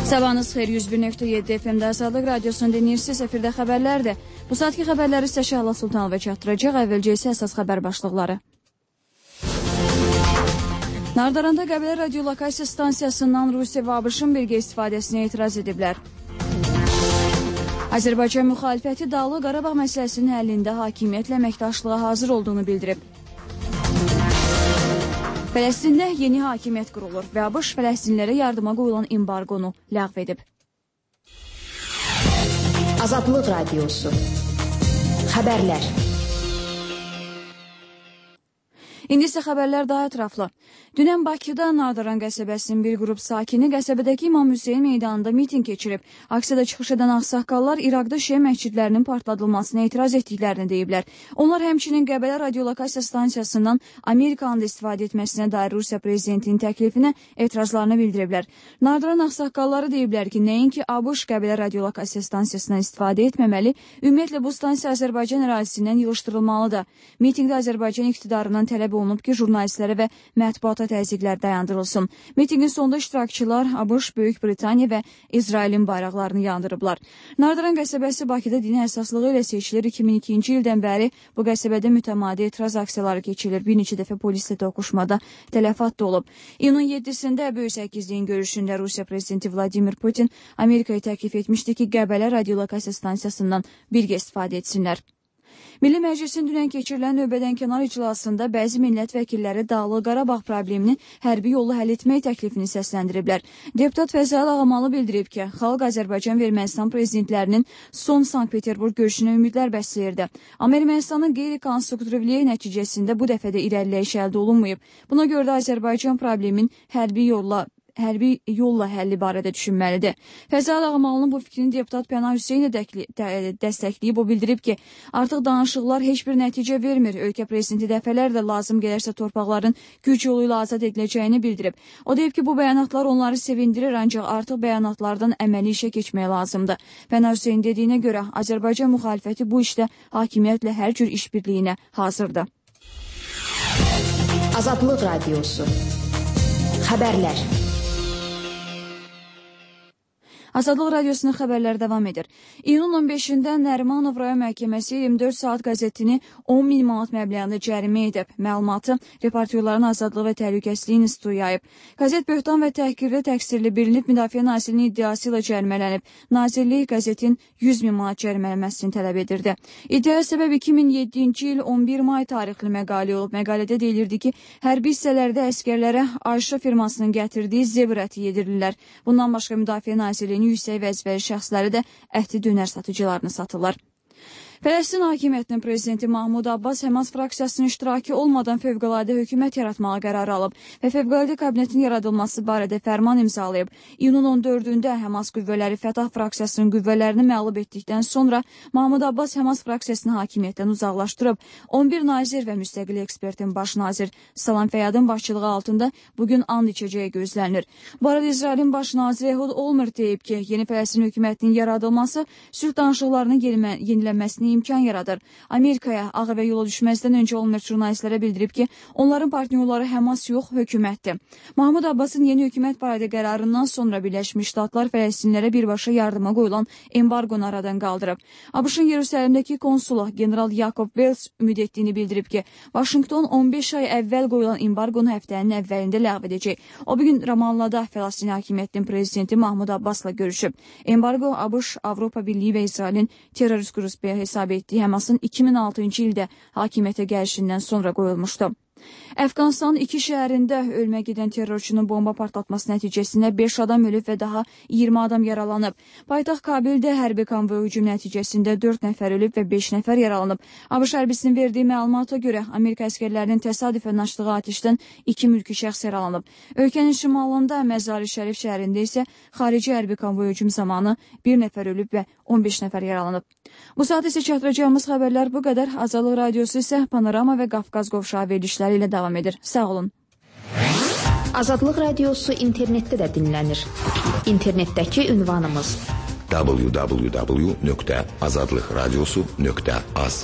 Sabahınız xeyir, 101.7 FM-də Azadlıq Radiosunu dinləyirsiniz. Efirdə xəbərlərdir. Bu saatki xəbərləri sizə Şəhla Sultanova çatdıracaq. Əvvəlcə isə əsas xəbər başlıqları. Nardaranda Qəbələ radiolokasiya stansiyasından Rusiya və ABŞ-ın birgə istifadəsinə etiraz ediblər. Azərbaycan müxalifəti Dağlıq Qarabağ məsələsinin həllində hakimiyyətlə əməkdaşlığa hazır olduğunu bildirib. Fələstində yeni hakimiyyət qurulur və ABŞ Fələstinlərə yardıma qoyulan embarqonu ləğv edib. Azadlıq Radiosu. Xəbərlər. İndi isə xəbərlər daha ətraflı. Dünən Bakıda Nardaran qəsəbəsinin bir qrup sakini qəsəbədəki İmam Hüseyin meydanında miting keçirib. Aksiyada çıxış edən ağsaqqallar İraqda şiə məscidlərinin partladılmasına etiraz etdiklərini deyiblər. Onlar həmçinin Qəbələ radiolokasiya stansiyasından Amerikanın da istifadə etməsinə dair Rusiya prezidentinin təklifinə etirazlarını bildiriblər. Nardaran ağsaqqalları deyiblər ki, nəinki ABŞ Qəbələ radiolokasiya stansiyasından istifadə etməməli, ümumiyyətlə bu stansiya Azərbaycan ərazisindən yığışdırılmalıdır. Mitingdə Azərbaycan iqtidarından tələb olunub ki, jurnalistlərə və mətbuata təzyiqlər dayandırılsın. Mitingin sonunda iştirakçılar ABŞ, Böyük Britaniya və İsrailin bayraqlarını yandırıblar. Nardaran qəsəbəsi Bakıda dini əsaslığı ilə seçilir. 2002-ci ildən bəri bu qəsəbədə mütəmadi etiraz aksiyaları keçilir. Bir neçə dəfə polislə toqquşmada tələfat da olub. İyunun 7-sində Böyük Səkizliyin görüşündə Rusiya prezidenti Vladimir Putin Amerikaya təklif etmişdi ki, Qəbələ radiolokasiya stansiyasından birgə istifadə etsinlər. Milli Məclisin dünən keçirilən növbədənkənar iclasında bəzi millət vəkilləri Dağlıq Qarabağ problemini hərbi yolla həll etmək təklifini səsləndiriblər. Deputat Fəzal Ağamalı bildirib ki, xalq Azərbaycan və Ermənistan prezidentlərinin son Sankt-Peterburq görüşünə ümidlər bəsləyirdi. Amma Ermənistanın qeyri-konstruktivliyi nəticəsində bu dəfə də irəliləyiş əldə olunmayıb. Buna görə də Azərbaycan problemin hərbi yolla həlli barədə düşünməlidir. Fəzal Ağamalının bu fikrini deputat Pənah Hüseyin dəstəkləyib. O bildirib ki, artıq danışıqlar heç bir nəticə vermir. Ölkə prezidenti dəfələrlə lazım gələrsə torpaqların güc yolu ilə azad ediləcəyini bildirib. O deyib ki, bu bəyanatlar onları sevindirir, ancaq artıq bəyanatlardan əməli işə keçmək lazımdır. Pənah Hüseyin dediyinə görə Azərbaycan müxalifəti bu işdə hakimiyyətlə hər cür işbirliyinə hazırdır. Azadlıq Radiosu. Xəbərlər. Azadlıq Radiosunun xəbərləri davam edir. İyunun 15-də Nərimanov rayon məhkəməsi 24 saat qəzetini 10.000 manat məbləğində cərimə edib. Məlumatı Reportyorların Azadlığı və Təhlükəsizliyi İnstitutu yayıb. Qəzet böhtan və təhqirdə təqsirli bilinib, Müdafiə Nazirliyinin iddiası ilə cərimələnib. Nazirlik qəzetin 100.000 manat cərimələnməsini tələb edirdi. İddiaya səbəb 2007-ci il 11 may tarixli məqalə olub. Məqalədə deyilirdi ki, hərbi hissələrdə əskərlərə Ayşə firmasının gətirdiyi zebr əti yedirirlər. Bundan başqa Müdafiə Nazirliyinin yüksək vəzifəli şəxsləri də əhti dönər satıcılarını satırlar. Fələstin hakimiyyətinin prezidenti Mahmud Abbas Həmas fraksiyasının iştirakı olmadan fövqəladə hökumət yaratmağa qərar alıb və fövqəladə kabinetin yaradılması barədə fərman imzalayıb. İyunun 14-də Həmas qüvvələri Fətah fraksiyasının qüvvələrini məğlub etdikdən sonra Mahmud Abbas Həmas fraksiyasını hakimiyyətdən uzaqlaşdırıb. 11 nazir və müstəqil ekspertin baş nazir Salam Fəyadın başçılığı altında bugün and içəcəyi gözlənilir. Bu arada İsrailin baş naziri Ehud Olmert deyib ki, yeni Fələstin hökumətinin yaradılması sülh danışıqlarının yenilənməsini imkan yaradır. Amerikaya Ağ Evə yola düşməzdən öncə Olmert jurnalistlərə bildirib ki, onların partnyorları Həmas yox, hökumətdir. Mahmud Abbasın yeni hökumət barədə qərarından sonra Birləşmiş Ştatlar Fələstinlərə birbaşa yardıma qoyulan embarqonu aradan qaldırıb. ABŞ-ın Yerusəlimdəki konsulu General Jacob Wells ümid etdiyini bildirib ki, Vaşinqton 15 ay əvvəl qoyulan embarqonu həftənin əvvəlində ləğv edəcək. O bugün Ramallada Fələstin hakimiyyətinin prezidenti Mahmud Abbasla görüşüb. Embarqo ABŞ, Avropa Birliyi və İsrailin terrorist qrupları hesab etdiyi Həmasın 2006-cı ildə hakimiyyətə gəlişindən sonra qoyulmuşdu. Əfqanistanın 2 şəhərində ölmə gedən terrorçunun bomba partlatması nəticəsində 5 adam ölüb və daha 20 adam yaralanıb. Paytaxt Kabildə hərbi konvoy hücum nəticəsində 4 nəfər ölüb və 5 nəfər yaralanıb. ABŞ hərbisinin verdiyi məlumata görə Amerika əskərlərinin təsadüfən açdığı atəşdən 2 mülki şəxs yaralanıb. Ölkənin şimalında Məzari Şərif şəhərində isə xarici hərbi konvoy hücum zamanı 1 nəfər ölüb və 15 nəfər yaralanıb. Bu saat isə çatdıracağımız xəbərlər bu qədər. Azadlıq Radiosu isə Panorama və Qafqaz qovşağı verilişləri ilə davam edir. Sağ olun. Azadlıq Radiosu internetdə də dinlənir. İnternetdəki ünvanımız www.azadlıqradiosu.az